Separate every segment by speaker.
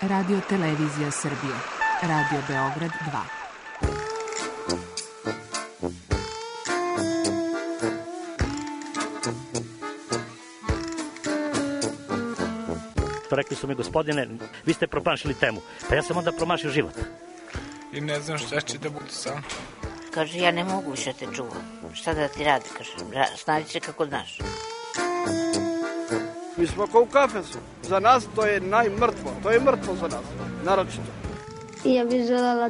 Speaker 1: Radio Televizija Srbije. Radio Beograd 2.
Speaker 2: Rekli su mi, gospodine, vi ste promašili temu. Pa ja sam onda promašio život.
Speaker 3: I ne znam šta će da bude sam.
Speaker 4: Kaže, ja ne mogu više te čuvam. Šta da ti radi? Kaže, snađi se kako znaš.
Speaker 5: Mi smo kao u kafesu. Za nas to je najmrtvo. To je mrtvo za nas. Naročito.
Speaker 6: Ja bih željela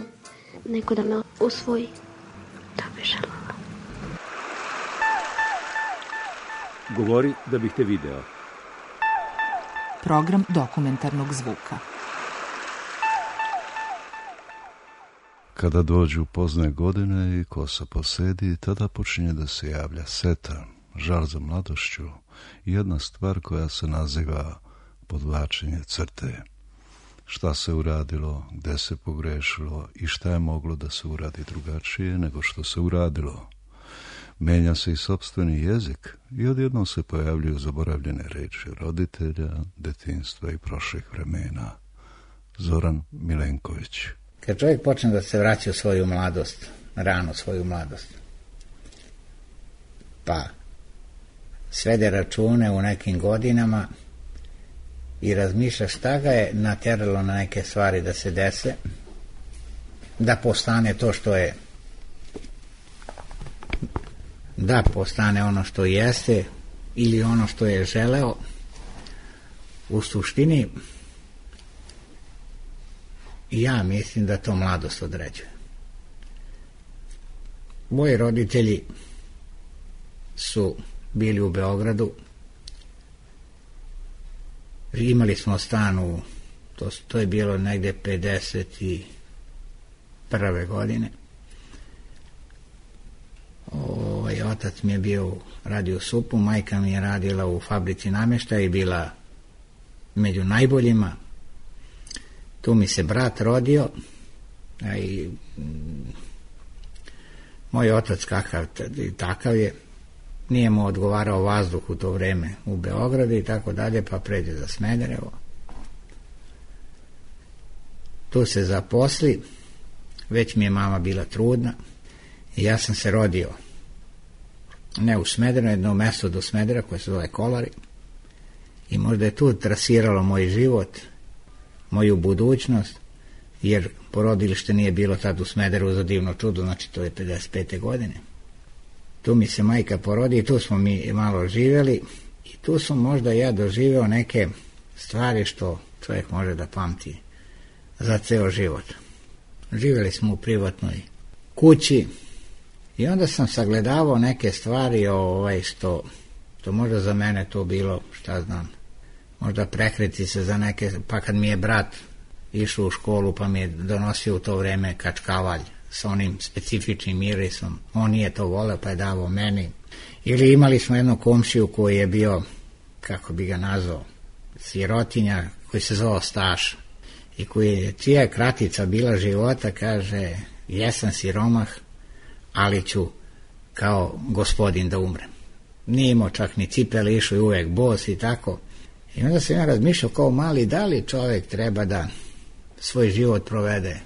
Speaker 6: neko da me usvoji. Da bih željela.
Speaker 7: Govori da bih te video.
Speaker 1: Program dokumentarnog zvuka.
Speaker 8: Kada dođu pozne godine i kosa posedi, tada počinje da se javlja seta, žal za mladošću i jedna stvar koja se naziva podvlačenje crte. Šta se uradilo, gde se pogrešilo i šta je moglo da se uradi drugačije nego što se uradilo. Menja se i sopstveni jezik i odjednom se pojavljuju zaboravljene reči roditelja, detinjstva i prošlih vremena. Zoran Milenković.
Speaker 9: Kad čovjek počne da se vraća u svoju mladost, rano svoju mladost, pa svede račune u nekim godinama i razmišlja šta ga je nateralo na neke stvari da se dese, da postane to što je, da postane ono što jeste ili ono što je želeo, u suštini ja mislim da to mladost određuje. Moji roditelji su bili u Beogradu, imali smo stan u, to je bilo negde 51. godine. Otac mi je bio radio u SUP-u, majka mi je radila u fabrici namještaja i bila među najboljima. Tu mi se brat rodio, a i moj otac takav je, nije mu odgovarao vazduh u to vreme u Beogradu i tako dalje, pa pređe za Smederevo. Tu se zaposli, već mi je mama bila trudna i ja sam se rodio ne u Smederevu, jedno mesto do Smedera koje se zove Kolari, i možda je tu trasiralo moj život, moju budućnost, jer porodilište nije bilo tad u Smederevu, za divno čudo, znači to je 55. godine. Tu mi se majka porodi i tu smo mi malo živjeli i tu sam možda ja doživeo neke stvari što čovjek može da pamti za ceo život. Živjeli smo u privatnoj kući i onda sam sagledavao neke stvari što možda za mene to bilo, šta znam, možda prekriti se za neke, pa kad mi je brat išao u školu pa mi je donosio u to vreme kačkavalj sa onim specifičnim mirisom, on nije to voleo pa je davao meni. Ili imali smo jednu komšiju koji je bio, kako bi ga nazvao, sirotinja, koji se zvao Staša i čija je kratica bila života, kaže, jesam siromah, ali ću kao gospodin da umrem. Nije imao čak ni cipele, išao i uvek bos i tako. I onda sam ja razmišljao kao mali, da li čovjek treba da svoj život provede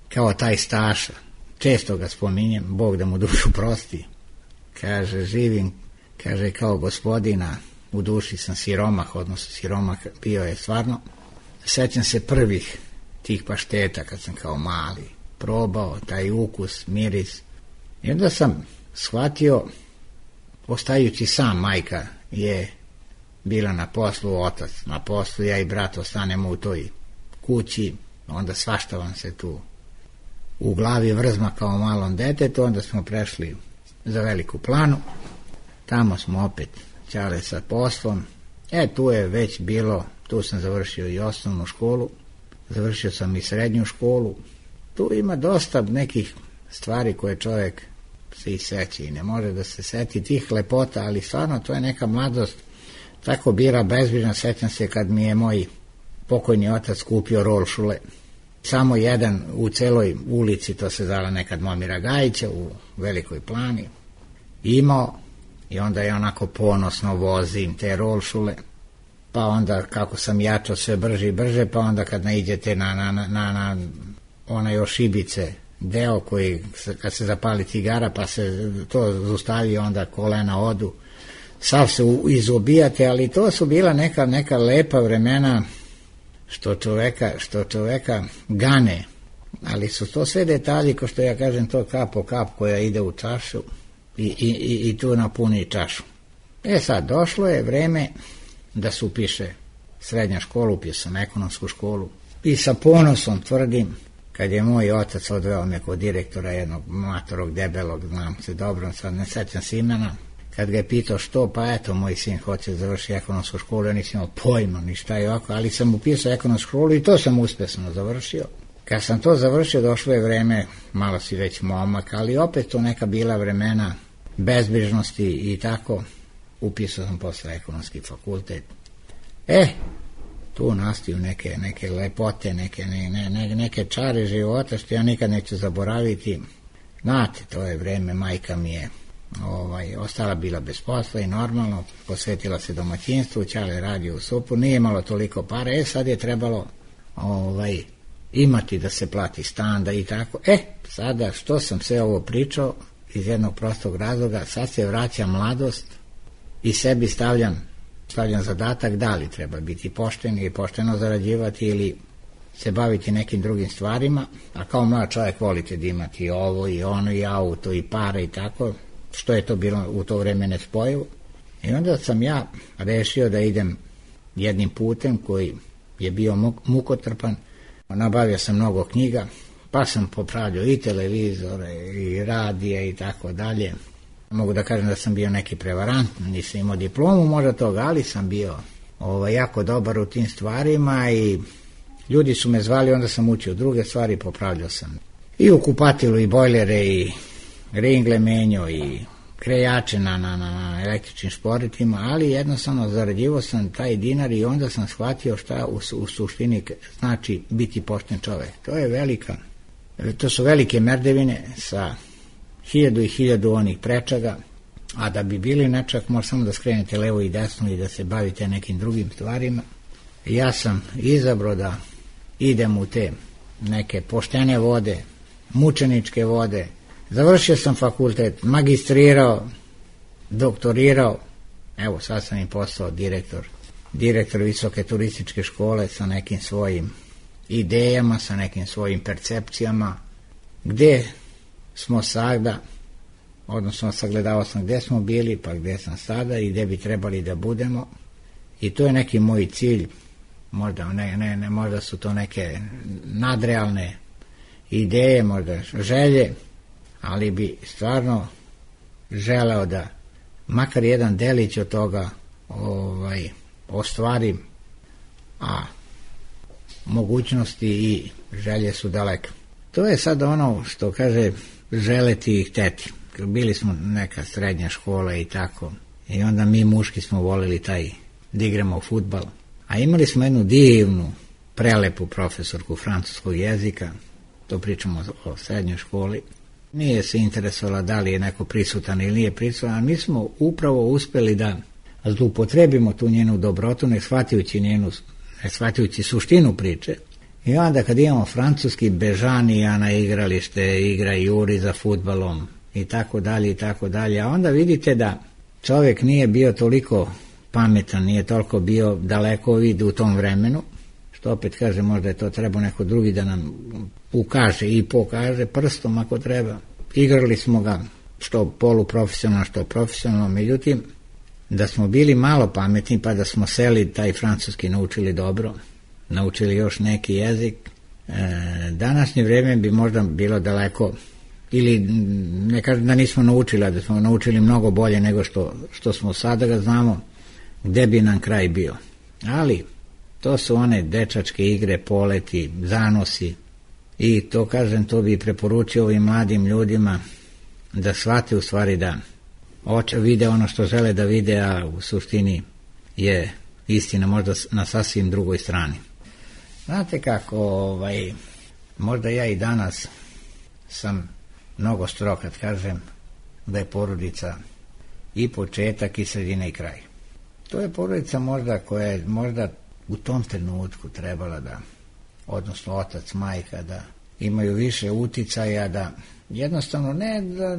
Speaker 9: kao taj Staša. Često ga spominjem, Bog da mu dušu prosti. Kaže, živim, kaže, kao gospodina, u duši sam siromah, odnosno siromah bio je stvarno. Sećam se prvih tih pašteta kad sam kao mali probao taj ukus, miris. I onda sam shvatio, ostajući sam, majka je bila na poslu, otac na poslu, ja i brat ostanemo u toj kući, onda svašta vam se tu u glavi vrzma kao malom detetu, onda smo prešli za Veliku Planu, tamo smo opet ćale sa poslom, tu je već bilo, tu sam završio i osnovnu školu, završio sam i srednju školu, tu ima dosta nekih stvari koje čovjek se i seći i ne može da se seti tih lepota, ali stvarno to je neka mladost, tako bila bezbrižna. Sećam se kad mi je moj pokojni otac kupio rolšule, samo jedan u celoj ulici, to se zvala nekad Momira Gajića u Velikoj Plani, imao, i onda je onako ponosno vozim te rolšule, pa onda kako sam jačao sve brže i brže, pa onda kad naiđete na onaj ošibice deo koji kad se zapali cigara pa se to zaustavi, onda kolena odu, sav se izobijate, ali to su bila neka lepa vremena što čoveka gane, ali su to sve detalji, ko što ja kažem, to kap po kap koja ide u čašu i tu napuni čašu. Sad, došlo je vreme da se upiše srednja škola, upio sam ekonomsku školu i sa ponosom tvrdim, kad je moj otac odveo me kod direktora jednog matorog, debelog, znam se dobro, sad ne sećam se imena, kad ga je pitao što, pa eto, moj sin hoće završiti ekonomsku školu, ja nisam imao pojma ni šta je ovako, ali sam upisao ekonomsku školu i to sam uspešno završio. Kad sam to završio, došlo je vreme, malo si već momak, ali opet to neka bila vremena bezbrižnosti i tako, upisao sam posle ekonomski fakultet. Tu nastaju neke lepote, neke čare života što ja nikad neću zaboraviti. Znate, to je vreme, majka mi je ostala bila bez posla i normalno posvetila se domaćinstvu, ćale radio u SUP-u, nije imalo toliko para, sad je trebalo imati da se plati stan, da i tako. Sada što sam sve ovo pričao iz jednog prostog razloga, sad se vraća mladost i sebi stavljam zadatak da li treba biti pošten i pošteno zarađivati ili se baviti nekim drugim stvarima, a kao mlad čovjek volite da imati i ovo i ono i auto i pare i tako, što je to bilo u to vreme nespojivo. I onda sam ja rešio da idem jednim putem koji je bio mukotrpan, nabavio sam mnogo knjiga, pa sam popravljao i televizore i radije i tako dalje. Mogu da kažem da sam bio neki prevarant, nisam imao diplomu možda toga, ali sam bio jako dobar u tim stvarima i ljudi su me zvali, onda sam učio druge stvari, popravljao sam i u kupatilu i bojlere i ringle menjo i krejače na električnim šporitima, ali jednostavno zarađivao sam taj dinar i onda sam shvatio šta u suštini znači biti pošten čovek. To su velike merdevine sa 1000 i 1000 onih prečaga, a da bi bili nečak može samo da skrenete levo i desno i da se bavite nekim drugim stvarima. Ja sam izabrao da idem u te neke poštene vode, mučeničke vode. Završio sam fakultet, magistrirao, doktorirao, evo sad sam i postao direktor visoke turističke škole sa nekim svojim idejama, sa nekim svojim percepcijama, gde smo sada, odnosno sagledao sam gde smo bili, pa gde sam sada i gde bi trebali da budemo, i to je neki moj cilj, možda su to neke nadrealne ideje, možda želje, ali bi stvarno želeo da makar jedan delić od toga ostvarim, a mogućnosti i želje su daleke. To je sad ono što kaže želeti i hteti. Bili smo neka srednja škola i tako, i onda mi muški smo volili da igramo fudbal, a imali smo jednu divnu, prelepu profesorku francuskog jezika, to pričamo o srednjoj školi. Nije se interesovala da li je neko prisutan ili nije prisutan, a mi smo upravo uspeli da zloupotrebimo tu njenu dobrotu, ne shvatajući suštinu priče. I onda kad imamo francuski, Bežanija na igralište, igra Juri za fudbalom i tako dalje, a onda vidite da čovjek nije bio toliko pametan, nije toliko bio daleko vid u tom vremenu, što opet kaže, možda je to trebao neko drugi da nam ukaže i pokaže prstom ako treba. Igrali smo ga što poluprofesionalno, što profesionalno, međutim, da smo bili malo pametni pa da smo seli taj francuski naučili dobro, naučili još neki jezik, današnje vreme bi možda bilo daleko, ili ne kažem da nismo naučili, a da smo naučili mnogo bolje nego što smo sada ga znamo, gde bi nam kraj bio. Ali to su one dečačke igre, poleti, zanosi, i to kažem, to bi preporučio ovim mladim ljudima da shvate u stvari da vide ono što žele da vide, a u suštini je istina možda na sasvim drugoj strani. Znate kako, možda ja i danas sam mnogo strog kad kažem da je porodica i početak i sredina i kraj. To je porodica možda koja je možda u tom trenutku trebala da, odnosno otac, majka, da imaju više uticaja, da jednostavno ne da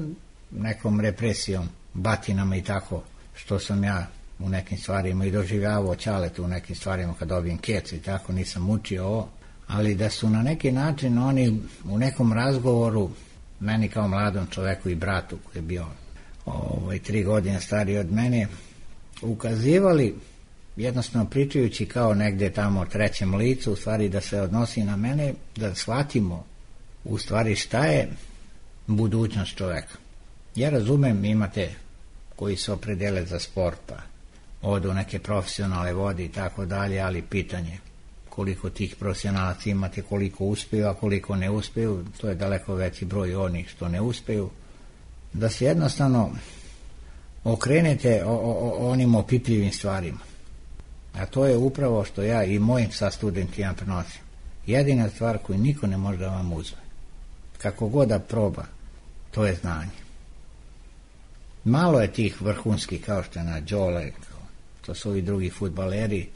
Speaker 9: nekom represijom, batinama i tako, što sam ja u nekim stvarima i doživljavao ćaletu u nekim stvarima kad dobijem kec i tako, nisam učio ovo, ali da su na neki način oni u nekom razgovoru meni kao mladom čoveku i bratu koji je bio 3 godine stariji od mene, ukazivali, jednostavno pričajući kao negde tamo o trećem licu, u stvari da se odnosi na mene, da shvatimo u stvari šta je budućnost čoveka. Ja razumem, imate koji se opredele za sport, pa odu neke profesionalne vode i tako dalje, ali pitanje koliko tih profesionalaca imate, koliko uspeju, a koliko ne uspeju, to je daleko veći broj onih što ne uspeju, da se jednostavno okrenete onim opipljivim stvarima. A to je upravo što ja i mojim sa studentima prenosim. Jedina stvar koju niko ne može da vam uzme, kako god da proba, to je znanje. Malo je tih vrhunskih, kao što je na Đole, to su ovi drugi fudbaleri,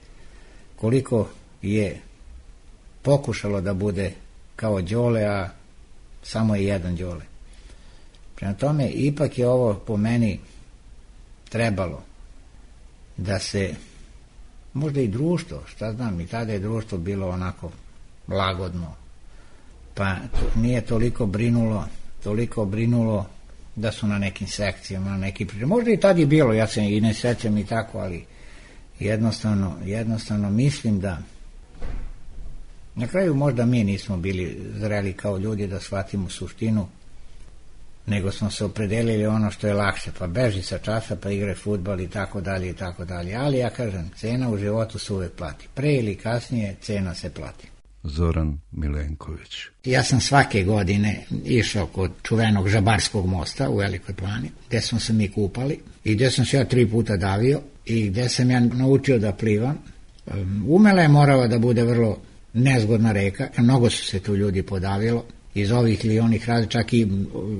Speaker 9: koliko je pokušalo da bude kao Đole, a samo je jedan Đole. Prema tome, ipak je ovo po meni trebalo da se, možda i društvo, šta znam, i tada je društvo bilo onako lagodno, pa nije toliko brinulo da su na nekim sekcijama, na neki priče. Možda i tad je bilo, ja se i ne sećam i tako, ali jednostavno mislim da na kraju možda mi nismo bili zreli kao ljudi da shvatimo suštinu, nego smo se opredelili ono što je lakše, pa beži sa časa, pa igraj fudbal i tako dalje i tako dalje. Ali ja kažem, cena u životu se uvek plati. Pre ili kasnije cena se plati.
Speaker 8: Zoran Milenković.
Speaker 9: Ja sam svake godine išao kod čuvenog Žabarskog mosta u Velikoj Plani, gde smo se mi kupali i gde sam se ja 3 puta davio i gde sam ja naučio da plivam. Umela je morala da bude vrlo nezgodna reka, mnogo su se tu ljudi podavilo, iz ovih ili onih razloga, čak i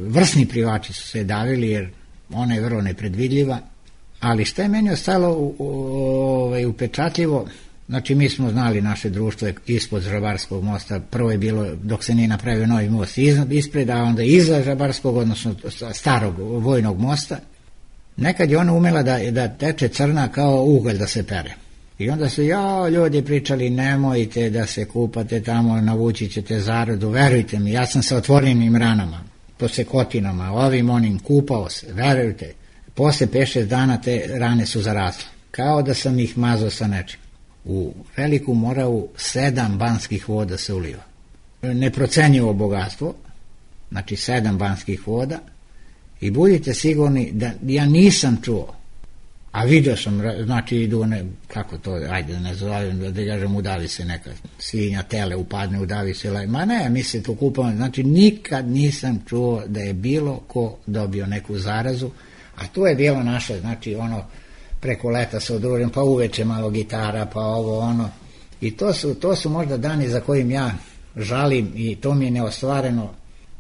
Speaker 9: vrsni plivači su se davili, jer ona je vrlo nepredvidljiva, ali šta je meni ostalo upečatljivo, znači mi smo znali naše društvo je ispod Žabarskog mosta, prvo je bilo dok se nije napravio novi most ispred, a onda iza Žabarskog, odnosno starog vojnog mosta, nekad je ona umela da teče crna kao ugalj da se pere. I onda su ljudi pričali, nemojte da se kupate tamo, navući ćete zaradu, verujte mi, ja sam sa otvorenim ranama, po sekotinama, ovim onim, kupao se, verujte, posle 5-6 dana te rane su zarasle, kao da sam ih mazao sa nečim. U Veliku Moravu 7 banskih voda se uliva. Neprocenjivo bogatstvo, znači 7 banskih voda, i budite sigurni da ja nisam čuo, a vidio sam, znači idu one, kako to, ajde da ne zovem, da kažem, udavi se neka svinja, tele upadne, udavi se, ma ne, mi se tu kupamo, znači nikad nisam čuo da je bilo ko dobio neku zarazu, a tu je bilo naše, znači ono, preko leta se udružim, pa uveče malo gitara, pa ovo, ono, i to su možda dani za kojim ja žalim i to mi je neostvareno,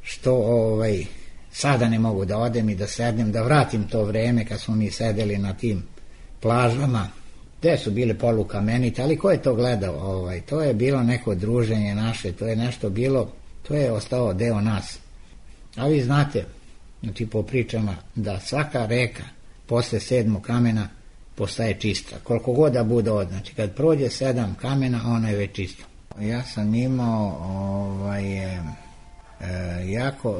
Speaker 9: što sada ne mogu da odem i da sednem, da vratim to vreme kad smo mi sedeli na tim plažama, gde su bile polukamenite, ali ko je to gledao? To je bilo neko druženje naše, to je nešto bilo, to je ostao deo nas. A vi znate, znači po pričama, da svaka reka posle 7. kamena postaje čista. Koliko god da bude od, znači kad prođe 7 kamena, ona je već čista. Ja sam imao jako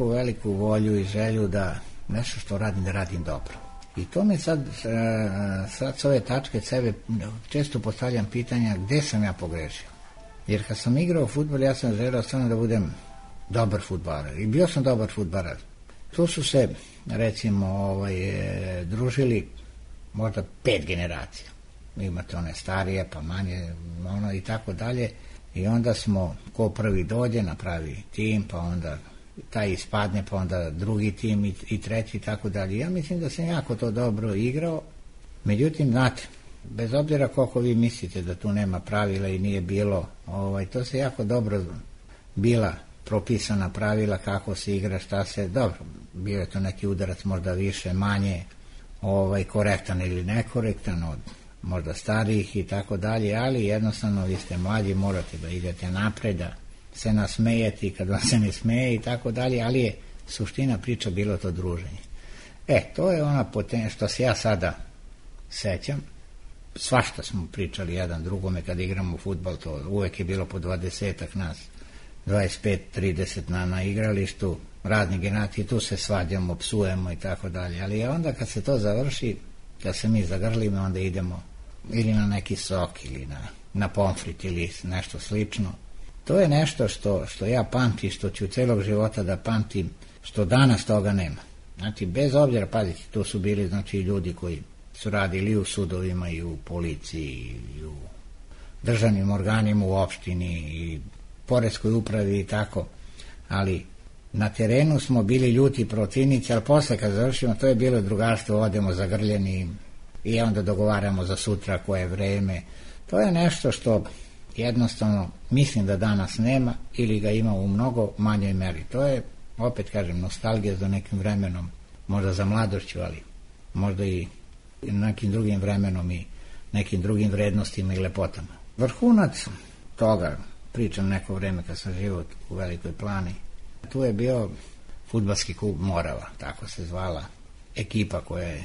Speaker 9: veliku volju i želju da nešto što radim, da radim dobro. I to mi sad s ove tačke sebe često postavljam pitanja gde sam ja pogrešio. Jer kad sam igrao fudbal, ja sam želeo stvarno da budem dobar fudbaler. I bio sam dobar fudbaler. Tu su se, recimo, družili možda 5 generacija. Imate one starije, pa manje, ono i tako dalje. I onda smo, ko prvi dođe, napravi tim, pa onda taj ispadne, pa onda drugi tim i treći i tako dalje. Ja mislim da sam jako to dobro igrao. Međutim, znate, bez obzira koliko vi mislite da tu nema pravila i nije bilo, to se jako dobro bila propisana pravila kako se igra, šta se, dobro, bio je to neki udarac možda više, manje, korektan ili nekorektan od možda starijih i tako dalje, ali jednostavno vi ste mlađi, morate da idete napred, da se nasmejete i kad vam se ne smeje i tako dalje, ali je suština priča bilo to druženje. To je ona što se ja sada sećam. Svašta smo pričali jedan drugome kad igramo fudbal, to uvek je bilo po 20-ak nas, 25-30 na igralištu, razni generacije, tu se svađamo, psujemo i tako dalje, ali onda kad se to završi, kad se mi zagrlimo, onda idemo ili na neki sok ili na pomfrit ili nešto slično. To je nešto što ja pamtim, što ću celog života da pamtim, što danas toga nema. Znači, bez obzira, pazite, tu su bili ljudi koji su radili i u sudovima i u policiji i u državnim organima u opštini i poreskoj upravi i tako, ali na terenu smo bili ljuti protivnici, ali posle kad završimo, to je bilo drugarstvo, odemo zagrljeni i onda dogovaramo za sutra koje vreme. To je nešto što jednostavno mislim da danas nema ili ga ima u mnogo manjoj meri. To je, opet kažem, nostalgija za nekim vremenom, možda za mladošću, ali možda i nekim drugim vremenom i nekim drugim vrednostima i lepotama. Vrhunac toga, pričam neko vreme kad sam živio u Velikoj Plani, tu je bio fudbalski klub Morava, tako se zvala ekipa koja je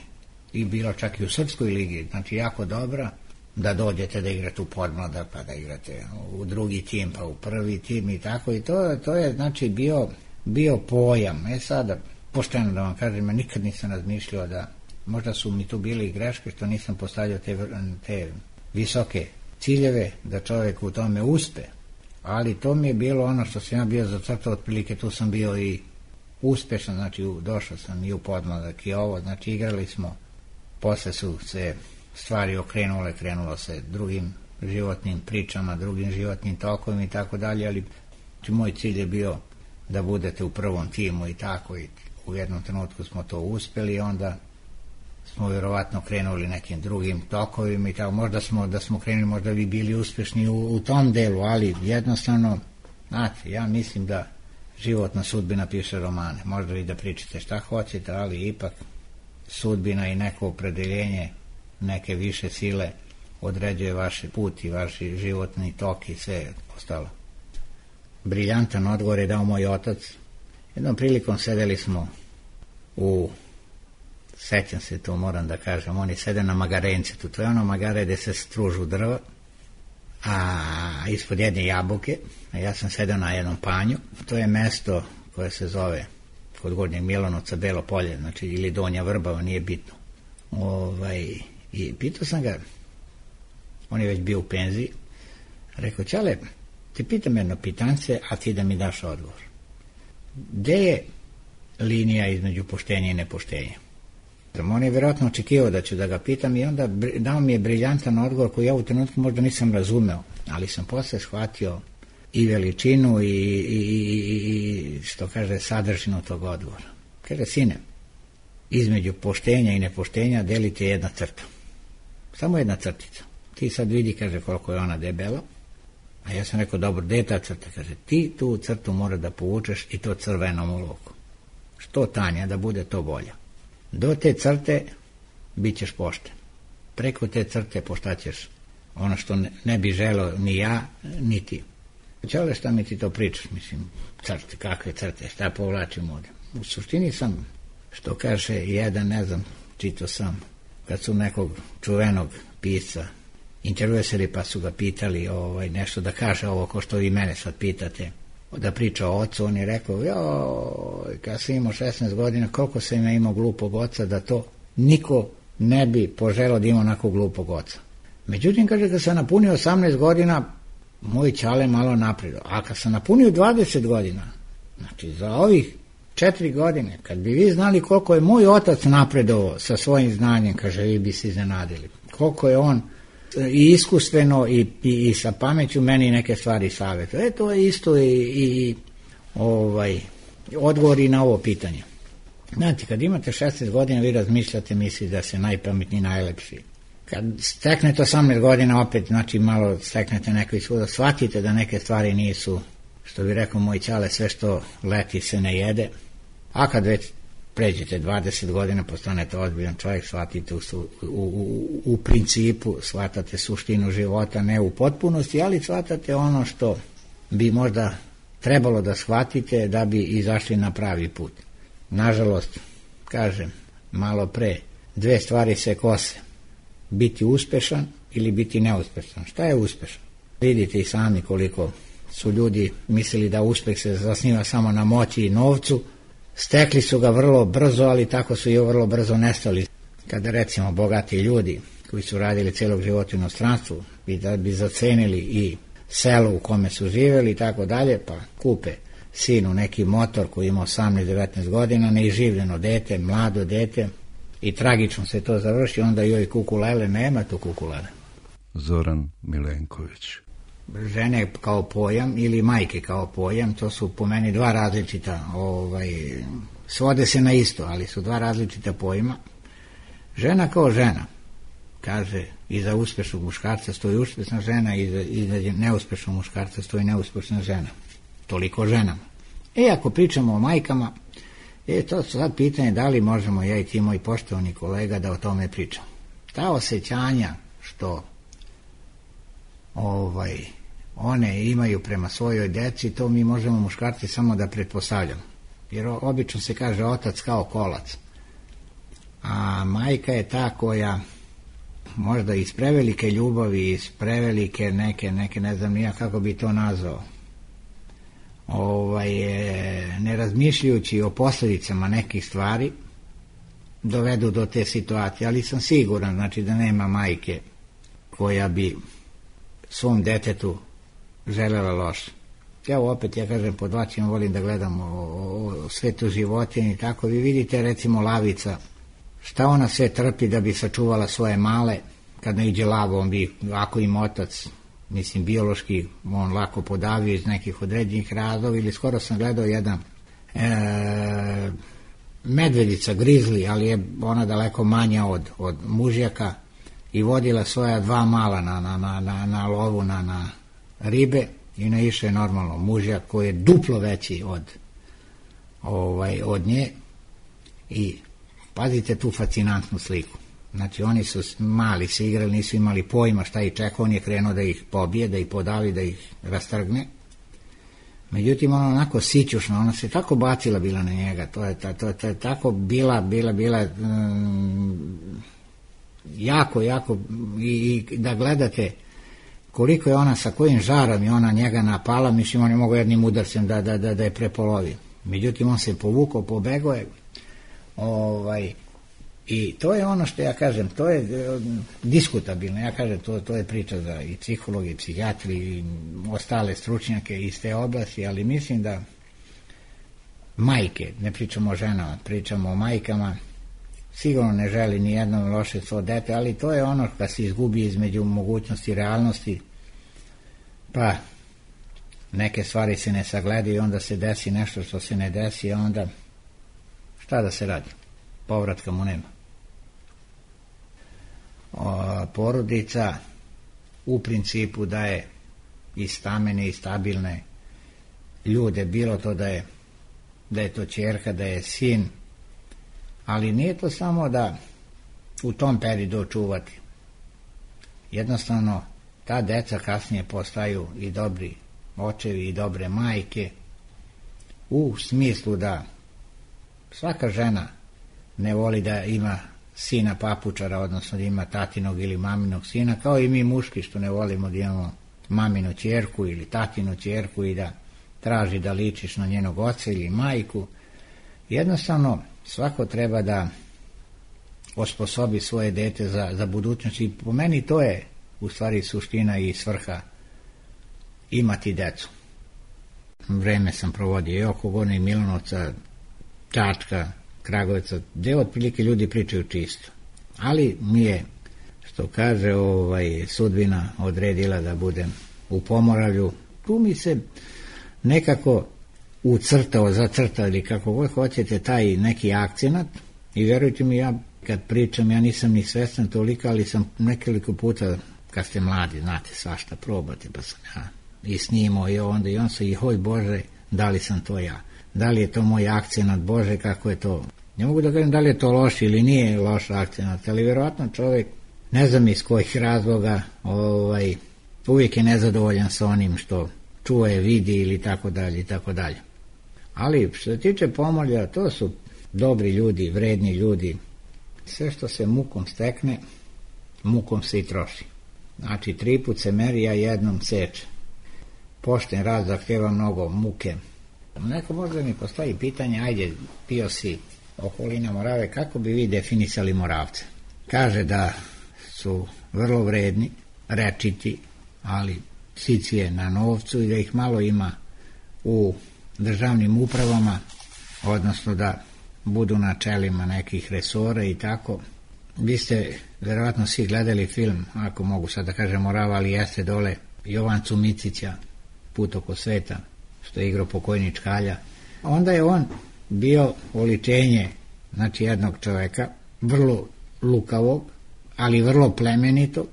Speaker 9: i bila čak i u Srpskoj ligi, znači jako dobra, da dođete da igrate u podmlada, pa da igrate u drugi tim, pa u prvi tim i tako, i to je znači bio pojam. Sada, pošteno da vam kažem, nikad nisam razmišljao da možda su mi tu bili greške što nisam postavljao te visoke ciljeve da čovjek u tome uspe, ali to mi je bilo ono što sam ja bio zacrtao, otprilike tu sam bio i uspešan, znači došao sam i u podmladak i ovo, znači igrali smo, posle su se stvari okrenule, krenulo se drugim životnim pričama, drugim životnim tokovima i tako dalje, ali moj cilj je bio da budete u prvom timu i tako, i u jednom trenutku smo to uspeli i onda smo vjerovatno krenuli nekim drugim tokovima i tako, možda da smo krenuli, možda bi bili uspešni u tom delu, ali jednostavno, znate, ja mislim da životna sudbina piše romane, možda vi da pričate šta hoćete, ali ipak sudbina i neko opredeljenje neke više sile određuje vaš put i vaš životni tok i sve ostalo. Briljantan odgovor je dao moj otac. Jednom prilikom sedeli smo sećam se to, moram da kažem, oni sede na magarencetu, to je ono magare gde se stružu drva, a ispod jedne jabuke, a ja sam sedeo na jednom panju, to je mesto koje se zove kod Gornjeg Milanovca Belo polje, znači ili Donja Vrbava, nije bitno. I pitao sam ga, on je već bio u penziji, rekao, Ćale, ti pitam jedno pitance, a ti da mi daš odgovor. Gde je linija između poštenja i nepoštenja? On je vjerojatno očekivao da ću da ga pitam i onda dao mi je briljantan odgovor koji ja u trenutku možda nisam razumeo, ali sam posle shvatio i veličinu i što kaže sadržinu tog odgovora. Kaže, sine, između poštenja i nepoštenja delite jedna crta. Samo jedna crtica. Ti sad vidi, kaže, koliko je ona debela. A ja sam rekao, dobro, gde je ta crta? Kaže, ti tu crtu mora da povučeš i to crvenom olovkom. Što tanja, da bude to bolja. Do te crte bit ćeš pošten. Preko te crte poštaćeš ono što ne bi želeo ni ja, ni ti. Čale, šta mi ti to pričaš? Mislim, crte, kakve crte, šta povlačim ovde? U suštini sam, što kaže jedan, ne znam, čitao sam, kad su nekog čuvenog pisca intervjuisali pa su ga pitali nešto da kaže ovo ko što vi mene sad pitate, da priča o ocu, on je rekao, kad sam imao 16 godina, koliko sam imao glupog oca, da to niko ne bi poželao da ima onako glupog oca. Međutim, kaže, kad sam napunio 18 godina, moj Ćale malo napredao, a kad sam napunio 20 godina, znači za ovih 4 godine, kad bi vi znali koliko je moj otac napredovao sa svojim znanjem, kaže, vi bi se iznenadili. Koliko je on i iskustveno i sa pameću meni neke stvari savjetuje. To je isto i odgovor i na ovo pitanje. Znate, kad imate 16 godina, vi razmišljate, mislite da se najpametniji, najlepši. Kad steknete 18 godina, opet, znači, malo steknete neko iskustvo, shvatite da neke stvari nisu, što bi rekao moj Ćale, sve što leti se ne jede, a kad već pređete 20 godina, postanete ozbiljan čovjek, shvatite u principu, shvatate suštinu života, ne u potpunosti, ali shvatate ono što bi možda trebalo da shvatite da bi izašli na pravi put. Nažalost, kažem, malo pre, dve stvari se kose. Biti uspešan ili biti neuspešan. Šta je uspešan? Vidite i sami koliko su ljudi mislili da uspeh se zasniva samo na moći i novcu. Stekli su ga vrlo brzo, ali tako su i vrlo brzo nestali. Kada recimo bogati ljudi koji su radili celog života u inostranstvu da bi zacenili i selo u kome su živjeli i tako dalje, pa kupe sinu neki motor koji ima 18-19 godina, neiživljeno dete, mlado dete, i tragično se to završi, onda joj kukulele, nema tu kukulele.
Speaker 8: Zoran Milenković.
Speaker 9: Žene kao pojam ili majke kao pojam, to su po meni dva različita, svode se na isto, ali su dva različita pojma. Žena kao žena, kaže, iza uspešnog muškarca stoji uspešna žena, iza neuspešnog muškarca stoji neuspešna žena. Toliko ženama. Ako pričamo o majkama, to su sad pitanje da li možemo ja i ti moji poštovani kolega da o tome pričamo. Ta osjećanja što one imaju prema svojoj deci, to mi možemo muškarci samo da pretpostavljamo. Jer obično se kaže otac kao kolac. A majka je ta koja možda iz prevelike ljubavi, iz prevelike neke ne znam nija kako bi to nazvao, ne razmišljajući o posljedicama nekih stvari, dovedu do te situacije, ali sam siguran, znači, da nema majke koja bi svom detetu želela loše. Ja kažem, pod vaćima volim da gledam o svetu životinje i tako. Vi vidite, recimo, lavica, šta ona sve trpi da bi sačuvala svoje male, kad ne iđe lavo, on bi, ako im otac, mislim, biološki, on lako podavio iz nekih određenih razloga, ili skoro sam gledao jedan medvedica, grizli, ali je ona daleko manja od mužjaka, i vodila svoja dva mala na lovu, na ribe, i naišao je normalno mužjak koji je duplo veći od nje, i pazite tu fascinantnu sliku. Znači, oni su mali se igrali, nisu imali pojma šta ih čeka, on je krenuo da ih pobije, da ih podavi, da ih rastrgne. Međutim, ona onako sićušna, ona se tako bacila bila na njega, to je tako bila jako, i da gledate koliko je ona, sa kojim žarom je ona njega napala, mislim, on je mogao jednim udarcem da je prepolovi. Međutim, on se povukao, pobegao je, i to je ono što ja kažem, to je diskutabilno, ja kažem, to je priča za i psihologi, i psihijatri, i ostale stručnjake iz te oblasti, ali mislim da majke, ne pričamo o ženama, pričamo o majkama, sigurno ne želi ni jednom loše svo dete, ali to je ono kad se izgubi između mogućnosti i realnosti, pa neke stvari se ne sagledaju i onda se desi nešto što se ne desi, a onda šta da se radi? Povratka mu nema. Porodica u principu daje i stamene i stabilne ljude, bilo to da je to ćerka, da je sin, ali nije to samo da u tom periodu čuvati. Jednostavno, ta deca kasnije postaju i dobri očevi i dobre majke, u smislu da svaka žena ne voli da ima sina papučara, odnosno da ima tatinog ili maminog sina, kao i mi muški što ne volimo da imamo maminu ćerku ili tatinu ćerku i da traži da ličiš na njenog oca ili majku. Jednostavno, svako treba da osposobi svoje dete za budućnost, i po meni to je u stvari suština i svrha imati decu. Vreme sam provodio i oko Gornjeg Milanovca, Čačka, Kragujevca, gde otprilike ljudi pričaju čisto. Ali mi je, što kaže, sudbina odredila da budem u Pomoravlju. Tu mi se nekako ucrtao, zacrtao ili kako god hoćete taj neki akcenat, i verujte mi, ja kad pričam, ja nisam ni svestan toliko, ali sam nekoliko puta, kad ste mladi, znate, svašta probate, pa sam ja i snimao i onda i on se, i hoj Bože, da li sam to ja? Da li je to moj akcenat, Bože, kako je to Ne mogu da kažem da li je to loš ili nije loš akcenat, ali vjerojatno čovjek, ne znam iz kojih razloga, uvijek je nezadovoljan sa onim što čuje, vidi ili tako dalje i tako dalje. Ali što se tiče Pomorja, to su dobri ljudi, vredni ljudi. Sve što se mukom stekne, mukom se i troši. Znači 3 put se meri, a jednom seče. Pošten rad zahtjeva mnogo muke. Neko možda mi postavi pitanje, ajde, pio si okolina Morave, kako bi vi definisali Moravce? Kaže da su vrlo vredni, rečiti, ali sicije na novcu i da ih malo ima u državnim upravama, odnosno da budu na čelima nekih resora i tako. Vi ste vjerojatno svi gledali film, ako mogu sad da kažem Morava, ali jeste dole Jovancu Micića, Put oko sveta, što je igrao pokojni Čkalja. Onda je on bio oličenje, znači jednog čovjeka, vrlo lukavog, ali vrlo plemenitog.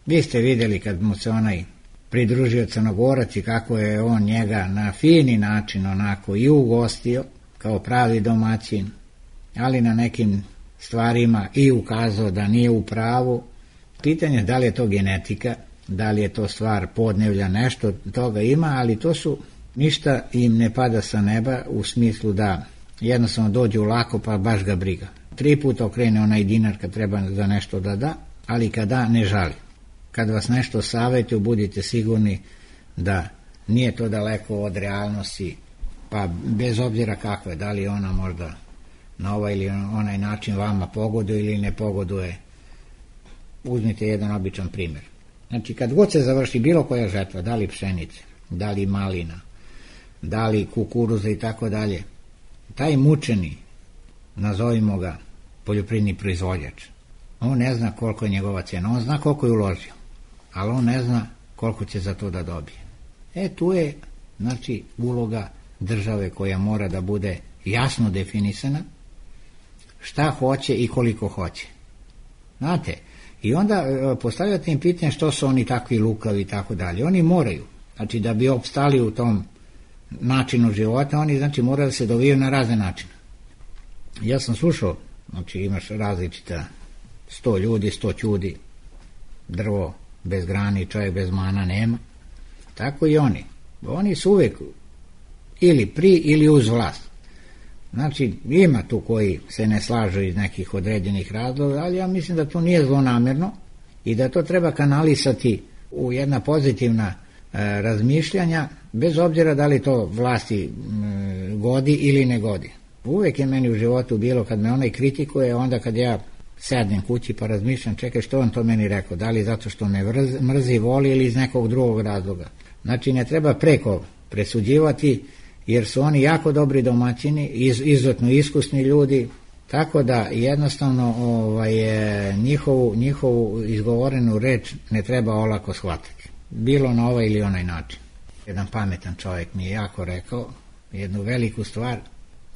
Speaker 9: Vi ste vidjeli kad mu se onaj pridružio Crnogorac i kako je on njega na fini način onako i ugostio, kao pravi domaćin, ali na nekim stvarima i ukazao da nije u pravu. Pitanje da li je to genetika, da li je to stvar podnevlja, nešto toga ima, ali to su, ništa im ne pada sa neba u smislu da jednostavno dođu lako pa baš ga briga. 3 puta okrene onaj dinar kad treba za nešto da da, ali kad da ne žali. Kad vas nešto savjetuje, budite sigurni da nije to daleko od realnosti, pa bez obzira kakve, da li ona možda na ovaj ili onaj način vama pogoduje ili ne pogoduje. Uzmite jedan običan primjer. Znači kad god se završi bilo koja žetva, da li pšenice, da li malina, da li kukuruza i tako dalje, taj mučeni, nazovimo ga poljoprivredni proizvođač, on ne zna koliko je njegova cijena, on zna koliko je uložio, ali on ne zna koliko će za to da dobije. Tu je, znači, uloga države koja mora da bude jasno definisana, šta hoće i koliko hoće. Znate, i onda postavljate im pitanje što su oni takvi lukavi i tako dalje. Oni moraju, znači da bi opstali u tom načinu života, oni znači moraju da se dovijaju na razne načine. Ja sam slušao, znači imaš različita 100 ljudi, 100 ćudi, drvo bez grani, čovjek bez mana nema. Tako i oni. Oni su uvijek ili pri ili uz vlast. Znači ima tu koji se ne slažu iz nekih određenih razloga, ali ja mislim da to nije zlonamjerno i da to treba kanalisati u jedna pozitivna razmišljanja, bez obzira da li to vlasti godi ili ne godi. Uvijek je meni u životu bilo kad me onaj kritikuje, onda kad ja sednem kući pa razmišljam, čekaj što on to meni rekao, da li zato što me mrzi, voli ili iz nekog drugog razloga. Znači ne treba preko presuđivati, jer su oni jako dobri domaćini, izuzetno iskusni ljudi, tako da jednostavno njihovu izgovorenu reč ne treba olako shvatiti. Bilo na ovaj ili onaj način. Jedan pametan čovjek mi je jako rekao jednu veliku stvar,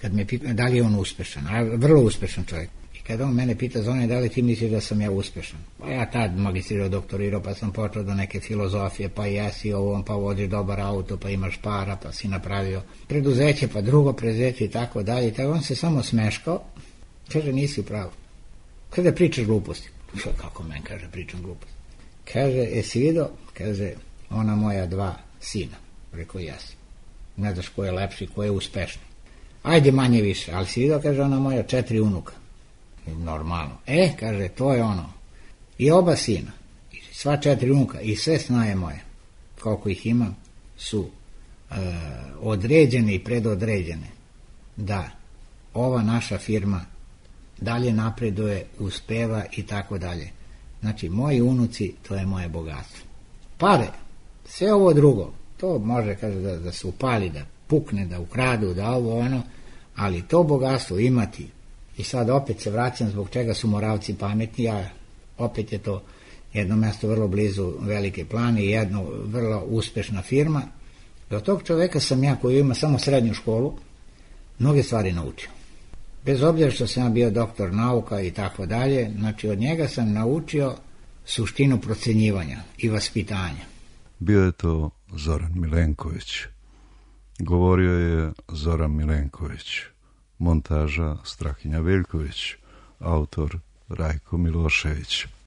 Speaker 9: kad me pita da li je on uspešan, a vrlo uspešan čovjek. I kad on mene pita za one, da li ti misliš da sam ja uspešan? Pa ja tad magistrirao, doktorirao, pa sam počeo do neke filozofije, pa jesi ovom, pa voziš dobar auto, pa imaš para, pa si napravio preduzeće, pa drugo preduzeće i tako dalje. Tako on se samo smeškao, kaže nisi u pravu. Kaže pričaš gluposti. Kako men, kaže pričam gluposti. Kaže, jesi vidio? Kaže, ona moja 2 sina. Rekao, jesi. Ne znaš ko je lepši, ko je uspešni. Ajde manje više, ali si vidio, kaže, ona moja 4 unuka. Normalno. Kaže, to je ono. I oba sina, i sva 4 unuka, i sve snaje moje, koliko ih imam, su određene i predodređene da ova naša firma dalje napreduje, uspeva i tako dalje. Znači, moji unuci, to je moje bogatstvo. Pare, sve ovo drugo, to može, kaže, da se upali, da pukne, da ukradu, da ovo ono, ali to bogatstvo imati. I sad opet se vraćam zbog čega su Moravci pametni, a opet je to jedno mjesto vrlo blizu Velike Plane i jedno vrlo uspešna firma. Do tog čoveka sam ja, koji ima samo srednju školu, mnoge stvari naučio. Bez obzira što sam ja bio doktor nauka i tako dalje, znači od njega sam naučio suštinu procenjivanja i vaspitanja.
Speaker 8: Bio je to Zoran Milenković. Govorio je Zoran Milenković, montaža Strahinja Veljković, autor Rajko Milošević.